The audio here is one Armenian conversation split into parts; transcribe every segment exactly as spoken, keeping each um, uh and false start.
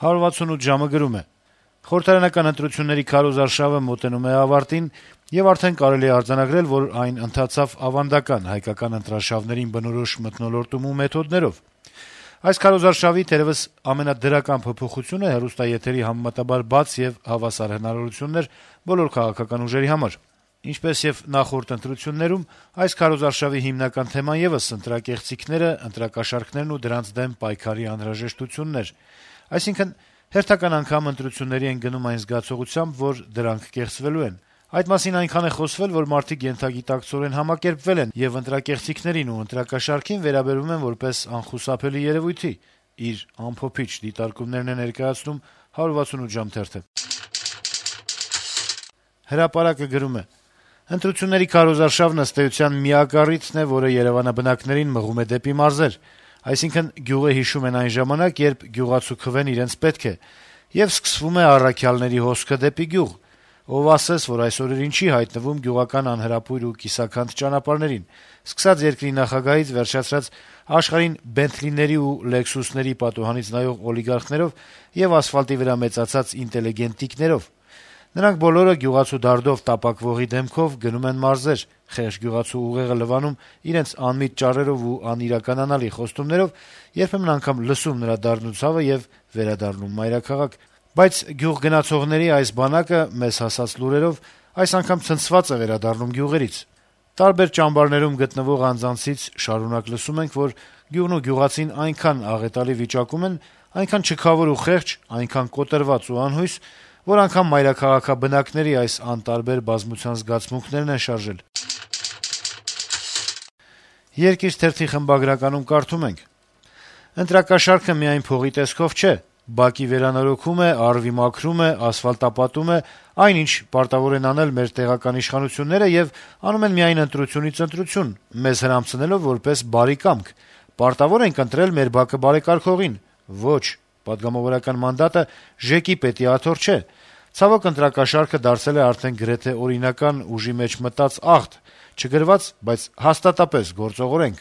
«հարյուր վաթսունութ ժամը» գրում է. - «Խորհրդարանական ընտրությունների քարոզարշավը մոտենում է ավարտին, եւ արդեն կարելի է արձանագրել, որ այն ընթացավ ավանդական հայկական ընտրարշավներին բնորոշ մթնոլորտում ու մեթոդներով։ Այս քարոզարշավի թերեւս ամենադրական փոփոխությունը հեռուստաեթերի համեմատաբար բաց եւ հավասար հնարավորություններ բոլոր քաղաքական ուժերի համար։ Ինչպես եւ նախորդ ընտրություններում, այս քարոզարշավի հիմնական թեման եւս ընտրակեղծիքները, ընտրակաշառքներն ու դրանց դեմ պայքարի անհրաժեշտությունն էր։ Այսինքն, հերթական անգամ ընտրությունների են գնում այն զգացողությամբ, որ դրանք կեղծվելու են։ Այդ մասին այնքան է խոսվել, որ մարդիկ ենթագիտակցորեն համակերպվել են եւ ընտրակեղծիքներին ու ընտրակաշառքին վերաբերում են որպես անխուսափելի երեւույթի, իր ամփոփիչ դիտարկումներն է ներկայացնում հարյուր վաթսունութ ժամ թերթը։ Հրապարակը գրում է. - «Ընտրությունների քարոզարշավն ըստ էության միակ առիթն է, որը երեւանաբնակներին մղում է դեպի մարզեր, այսինքն՝ գյուղը հիշում են այն ժամանակ, երբ գյուղացու քվեն իրենց պետք է, եւ սկսվում է առաքյալների հոսքը դեպի գյուղ։ Ով ասես, որ այս օրերին չի հայտնվում գյուղական անհրապույր ու կիսաքանդ ճանապարհներին, սկսած երկրի նախագահից վերջացրած աշխարհին Բենթլիների ու Լեքսուսների պատուհանից նայող օլիգարխներով եւ ասֆալտի վրա մեծացած ինտելիգենտիկներով։ Նրանք բոլորը գյուղացու դարդով տապակվողի դեմքով գնում են մարզեր, խեղճ գյուղացու ուղեղը լվանում իրենց անմիտ ճառերով ու անիրականանալի խոստումներով, երբեմն անգամ լսում նրա դառնուցավը եւ վերադառնում մայրաքաղաք։ Բայց գյուղ գնացողների այս բանակը, մեզ հասած լուրերով, այս անգամ ցնցված է վերադառնում գյուղերից։ Տարբեր ճամբարներում գտնվող անձանցից շարունակ լսում ենք, որ գյուղն ու գյուղացին այնքան աղետալի վիճակում են, այնքան չքավոր ու խեղճ, այնքան կոտրված ու անհույս, որ անգամ մայրաքաղաքաբնակների այս անտարբեր բազմության զգացմունքներն են շարժել»։ «Երկիր» թերթի խմբագրականում կարդում ենք. - «Ընտրակաշառքը միայն փողի տեսքով չէ. բակի վերանորոգում է, առվի մաքրում է, ասֆալտապատում է, այն, ինչ պարտավոր են անել մեր տեղական իշխանությունները եւ անում են միայն ընտրությունից ընտրություն, մեզ հրամցնելով որպես բարի կամք։ Պարտավոր ենք ընտրել մեր բակը բարեկարգողին։ Ոչ, պատգամավորական մանդատը ԺԵԿ-ի պետի աթոռ չէ։ Ցավոք, ընտրակաշառքը դարձել է արդեն գրեթե օրինական ուժի մեջ մտած աղթ, չգրված, բայց հաստատապես գործող օրենք։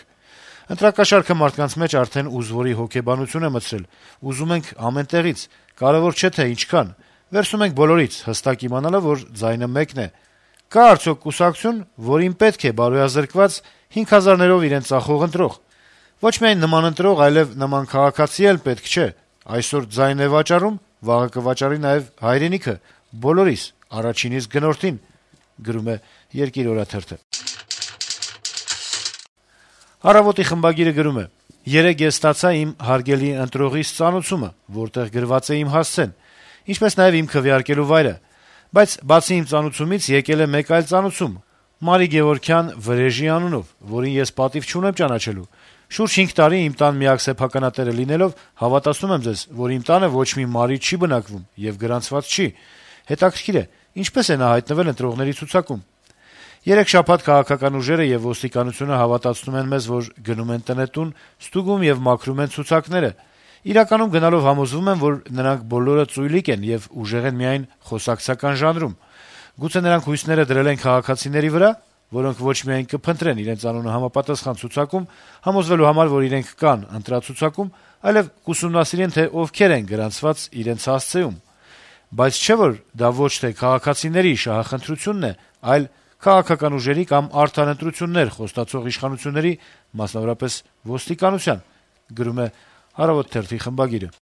Ընտրակաշառքը մարդկանց մեջ արդեն ուզվորի հոգեբանություն է մտցրել, ուզում ենք ամեն տեղից, կարեւոր չէ թե ինչքան, վերցնում ենք բոլորից, հստակ իմանալով, որ ձայնը մեկն է։ Կա՞ արդյոք կուսակցություն, որին պետք է բարոյազրկված հինգ հազարներով իրեն ծախող ընտրող։ Ոչ միայն նման ընտրող, այլեւ նման քաղաքացի էլ պետք չէ։ Այսօր ձայն է վաճառում, վաղը կվաճառի նաեւ հայրենիքը, բոլորիս, առաջինից գնորդին»։ Գրում է «Երկիր» օրաթերթը։ «Առավոտ»-ի խմբագիրը գրում է. - «Երեկ ես ստացա իմ հարգելի ընտրողիս ծանուցումը, որտեղ գրված է իմ հասցեն, ինչպես նաեւ իմ քվեարկելու վայրը, բայց բացի իմ ծանուցումից եկել է մեկ այլ ծանուցում՝ Մարի Գեւորգյան Վրեժի անունով, որին ես պատիվ չունեմ ճանաչելու։ Շուրջ հինգ տարի իմ տան միակ սեփականատերը լինելով, հավատացնում եմ ձեզ, որ իմ տանը ոչ մի Մարի չի բնակվում եւ գրանցված չի։ Հետաքրքիր է, ինչպես է նա հայտնվել ընտրողների ցուցակում։ Երեք շաբաթ քաղաքական ուժերը եւ ոստիկանությունը հավատացնում են մեզ, որ գնում են տնետուն, ստուգում եւ մաքրում են ցուցակները։ Իրականում գնալով համոզվում են, որ նրանք բոլորը ծույլիկ են եւ ուժեղ են միայն խոսակցական ժանրում։ Գուցե նրանք հույսները դրել են քաղաքացիների վրա, որոնք ոչ միայն կփնտրեն իրենց անունը համապատասխան ցուցակում, համոզվելու համար, որ իրենք կան ընտրացուցակում, այլեւ կուսումնասիրեն, թե ովքեր են գրանցված իրենց հասցեում։ Բայց չէ՞ որ դա ոչ թե քաղաքացիների շահախնդրությունն է, այլ քաղաքական ուժերի կամ արդար ընտրություններ խոստացող իշխանությունների, մասնավորապես ոստիկանության», գրում է «Առավոտ» թերթի խմբագիրը։